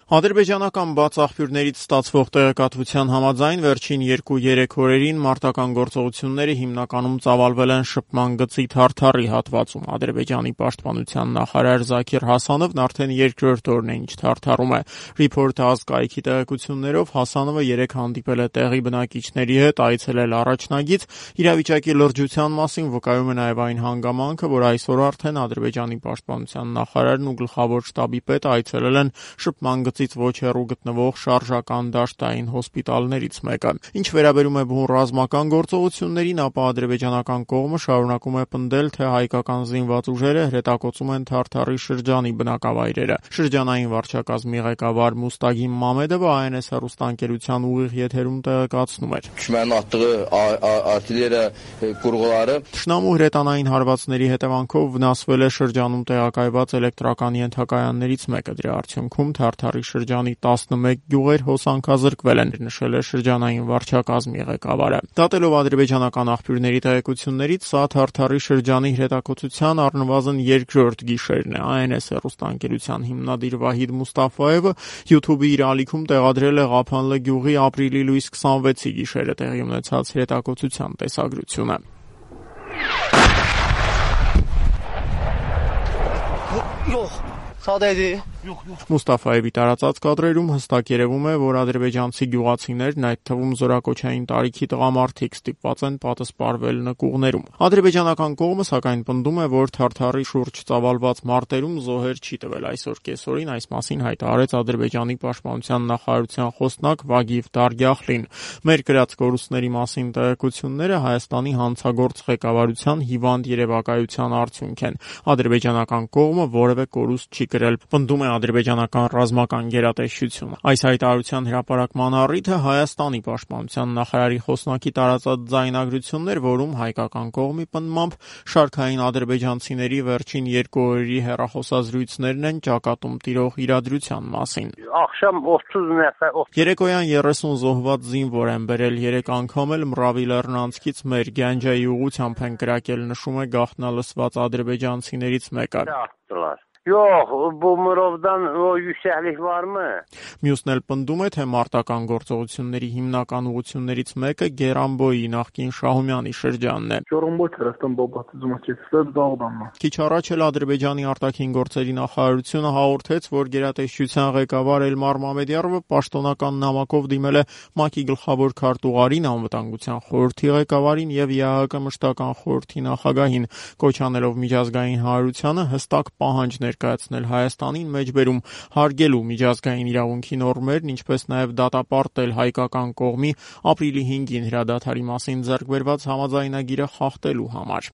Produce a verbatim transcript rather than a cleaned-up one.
Ադրբեջանական բաց աղբյուրներից ստացվող տեղեկատվության համաձայն վերջին երկու-երեք օրերին մարտական գործողությունները հիմնականում ծավալվել են շփման գծի Թարթարի հատվածում։ Ադրբեջանի պաշտպանության նախարար Զաքիր Հասանովն արդեն երկրորդ օրն է, ինչ Թարթարում է։ Reporter կայքի տեղեկություններով Հասանովը երեկ հանդիպել է տեղի բնակիչների հետ, այցելել առաջնագիծ, իրավիճակի լրջության մասին վկայում է նաև այն հանգամանքը, որ այսօր արդեն Ադրբեջանի պաշտպանության նախարարն ու գլխավոր շտաբի պետը այցելել են շփման գծից ոչ հեռու գտնվող շարժական դաշտային հոսպիտալներից մեկը։ Ինչ վերաբերում է բուն ռազմական գործողություններին, ապա ադրբեջանական կողմը շարունակում է պնդել, թե հայկական զինված ուժերը հրետակոծում են Թարթարի շրջանի բնակավայրերը։ Շրջանային վարչակազմի ղեկավար Մուստագիմ Մամեդովը Այ Էն Էս հեռուստաընկերության ուղիղ եթերում տեղեկացնում էր. Թշնամու հրետանային հարվածների հետևանքով վնասվել է շրջանում տեղակայված էլեկտրական ենթակայաններից մեկը։ Դրա արդյունքում Թարթարի շրջանի տասնմեկ գյուղեր հոսանքազրկվել են, նշել է շրջանային վարչակազմի ղեկավարը։ Դատելով ադրբեջանական աղբյուրների տեղեկություններից, սա Թարթարի շրջանի հրետակոծության առնվազն երկրորդ գիշերն է։ Այ Էն Էս հեռուստաընկերության հիմնադիր Վահիդ Մուստաֆայևը YouTube-ի իր ալիքում տեղադրել է Ղափանլը գյուղի ապրիլի լույս քսանվեցի գիշերը տեղի ունեցած հրետակոծության տեսագրությունը։ Մուստաֆայևի տարածած կադրերում հստակ երևում է, որ ադրբեջանցի գյուղացիներն, այդ թվում զորակոչային տարիքի տղամարդիկ, ստիպված են պատսպարվել նկուղներում։ Ադրբեջանական կողմը սակայն պնդում է, որ Թարթարի շուրջ ծավալված մարտերում զոհեր չի տվել։ Այսօր կեսօրին այս մասին հայտարարեց Ադրբեջանի պաշտպանության նախարարության խոսնակ Վագիվ Դարգյախլին։ Մեր գրած կորուստների մասին տեղեկությունները Հայաստանի հանցագործ ղեկավարության հիվանդ երևակայության արդյունք են։ Ադրբեջանական կողմը որևէ կորուստ չի կրել, պնդում է ադրբեջանական ռազմական գերատեսչությունը։ Այս հայտարարության հրապարակման առիթը Հայաստանի պաշտպանության նախարարի խոսնակի տարածած ձայնագրություններ, որում հայկական կողմի պնդմամբ շարքային ադրբեջանցիների վերջին երկու օրերի հեռախոսազրույցներն են ճակատում տիրող իրադրության մասին։ Երեկոյան երեսուն զոհված զինվոր են բերել, երեք անգամ էլ Մռավի լեռնանցքից մեր Գանջայի ուղությամբ են կրակել, նշում է գաղտնալսված ադրբեջանցիներից մեկը։ Yox, bu Murovdan o yüksəklik varmı? Մյուսն էլ պնդում է, թե մարտական գործողությունների հիմնական ուղղություններից մեկը Գերանբոյի նախկին Շահումյանի շրջանն է։ Քիչ առաջ էլ Ադրբեջանի արտաքին գործերի նախարարությունը հաղորդեց, որ գերատեսչության ղեկավար Էլմար Մամեդյարովը պաշտոնական նամակով դիմել է ՄԱԿ-ի գլխավոր քարտուղարին, անվտանգության խորհրդի ղեկավարին եւ ԵԱՀԿ մշտական խորհրդի նախագահին, կոչ անելով միջազգային հանրությանը հստակ պահանջ ներկայացնել Հայաստանին մեջբերում հարգելու միջազգային իրավունքի նորմերն, ինչպես նաև դատապարտել հայկական կողմի ապրիլի հինգին հրադադարի մասին ձեռք բերված համաձայնագիրը խախտելու համար։